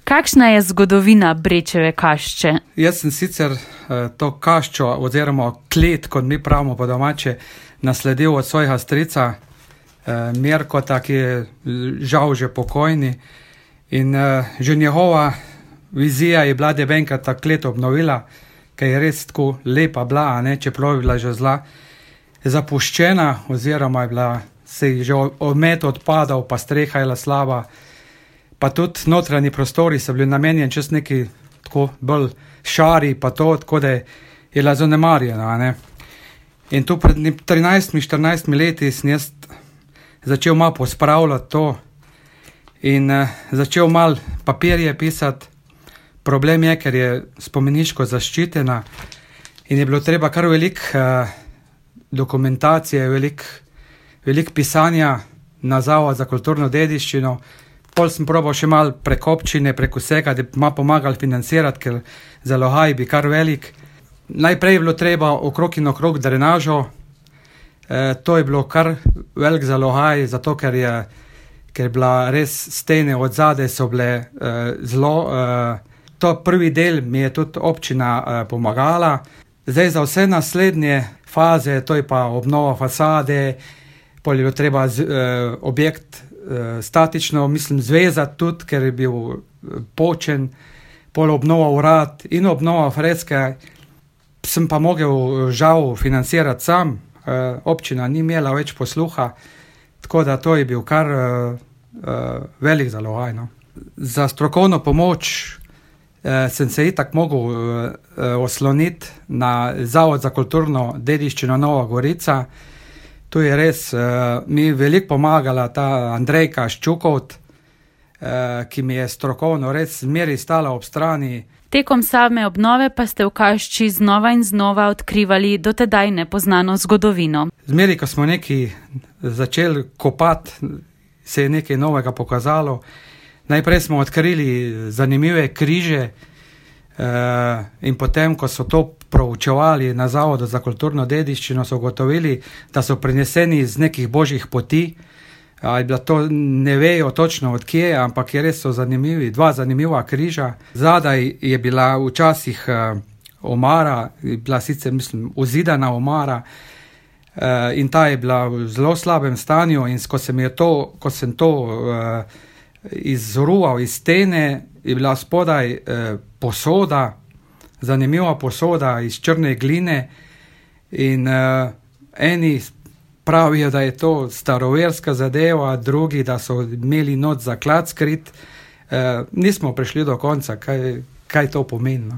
Kakšna je zgodovina Brečeve kašče? Jaz sem sicer to kaščo oziroma klet, kot mi pravimo po domače, nasledil od svojega strica Mirkota, ki je žal že pokojni. In že njegova vizija je bila, da bi enkrat ta klet obnovila, ker je res tako lepa bila, čeprav je bila že zla zapuščena, oziroma je bila, se je že omet odpadal, pa streha je bila slaba, pa tudi notranji prostori so bili namenjeni čez neki tako bolj šari, pa to, tako da je bila zanemarjena. In tu pred 13-14 leti sem jaz začel malo pospravljati to in začel malo papirje pisati. Problem je, ker je spomeniško zaščitena in je bilo treba kar veliko dokumentacije, veliko pisanja na Zavod za kulturno dediščino. Pol sem probal še malo prek občine, prek vsega, da bi malo pomagali financirati, ker zalogaj bi kar velik. Najprej je bilo treba okrog in okrog drenažo. To je bilo kar velik zalogaj, zato ker je bila res stene od zadaj so bile zelo. To prvi del mi je tudi občina pomagala. Zdaj za vse naslednje faze, to je pa obnova fasade, pol je bilo treba objekt statično, zvezati tudi, ker je bil počen, pol obnova urad in obnova freske. Sem pa mogel žal financirati sam, občina ni imela več posluha, tako da to je bil kar velik zalogaj. Za strokovno pomoč sem se itak mogel osloniti na Zavod za kulturno dediščino Nova Gorica. Tu je res mi veliko pomagala ta Andrejka Ščukovt, ki mi je strokovno res zmeraj stala ob strani. Tekom same obnove pa ste v kašči znova in znova odkrivali dotedaj nepoznano zgodovino. Zmeraj, ko smo nekaj začeli kopati, se je nekaj novega pokazalo. Najprej smo odkrili zanimive križe in potem, ko so to proučevali na Zavodu za kulturno dediščino, so ugotovili, da so prineseni iz nekih božjih poti. To ne vejo točno od kje, ampak je res so zanimivi, dva zanimiva križa. Zadaj je bila včasih omara, bila sicer uzidana omara in ta je bila v zelo slabem stanju in ko sem to izruval iz stene, je bila spodaj posoda, zanimiva posoda iz črne gline in eni pravijo, da je to staroverska zadeva, drugi, da so imeli noč zaklad skrit. Nismo prišli do konca, kaj to pomeni.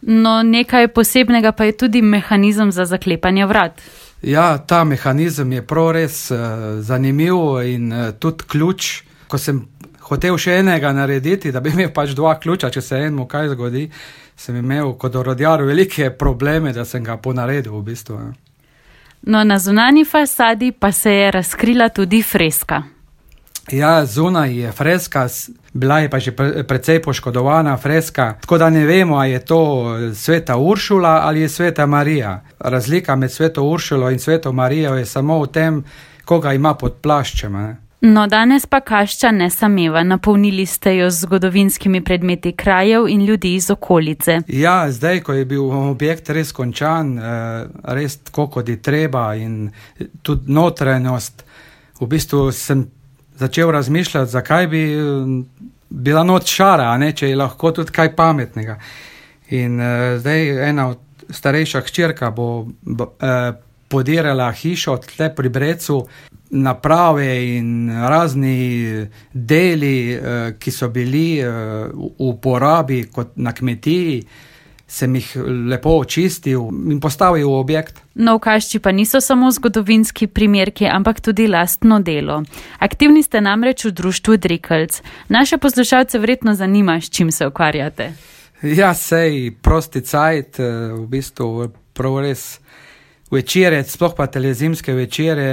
No, nekaj posebnega pa je tudi mehanizem za zaklepanje vrat. Ja, ta mehanizem je prav res zanimiv in tudi ključ. Ko sem hotel še enega narediti, da bi imel pač dva ključa, če se enemu kaj zgodi, sem imel kot orodjar velike probleme, da sem ga ponaredil v bistvu. No, na zunanji fasadi pa se je razkrila tudi freska. Ja, zunaj je freska, bila je pa že precej poškodovana freska, tako da ne vemo, ali je to Sveta Uršula ali je Sveta Marija. Razlika med Sveto Uršulo in Sveto Marijo je samo v tem, koga ima pod plaščem. No, danes pa kašča ne sameva, napolnili ste jo z zgodovinskimi predmeti krajev in ljudi iz okolice. Ja, zdaj, ko je bil objekt res končan, res tako, kot je treba in tudi notranjost, v bistvu sem začel razmišljati, zakaj bi bila noč šara, če je lahko tudi kaj pametnega. In zdaj ena starejša hčerka bo podirala hišo tle pri Brecu, naprave in razni deli, ki so bili v uporabi kot na kmetiji, sem jih lepo očistil in postavil v objekt. No, v kašči pa niso samo zgodovinski primerki, ampak tudi lastno delo. Aktivni ste namreč v društvu Drikelc. Naše poslušalce verjetno zanima, s čim se ukvarjate. Ja, sej prosti cajt, v bistvu prav res večere, sploh pa telezimske večere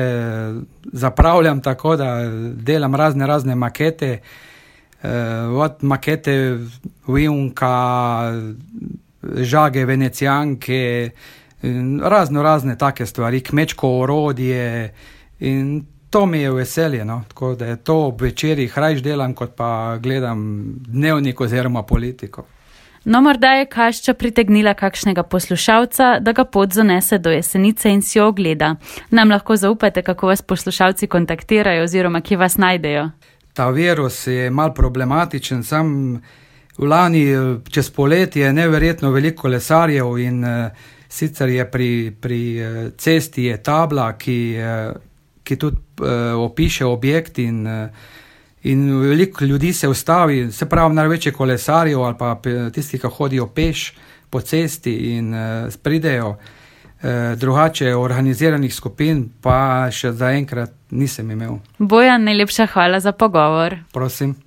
zapravljam tako, da delam razne makete, od makete Vijunka, žage venecijanke, razne take stvari, kmečko orodje in to mi je veselje, no? Tako da je to ob večerih rajš delam, kot pa gledam dnevnik oziroma politiko. No, morda je kašča pritegnila kakšnega poslušalca, da ga pot zanese do Jesenice in si jo ogleda. Nam lahko zaupate, kako vas poslušalci kontaktirajo oziroma kje vas najdejo? Ta virus je mal problematičen, sam v lani čez poletje je neverjetno veliko kolesarjev in sicer je pri cesti je tabla, ki tudi opiše objekt in veliko ljudi se ustavi, se pravi največje kolesarjev ali pa tisti, ki hodijo peš po cesti in pridejo. Drugače organiziranih skupin pa še zaenkrat nisem imel. Bojan, najlepša hvala za pogovor. Prosim.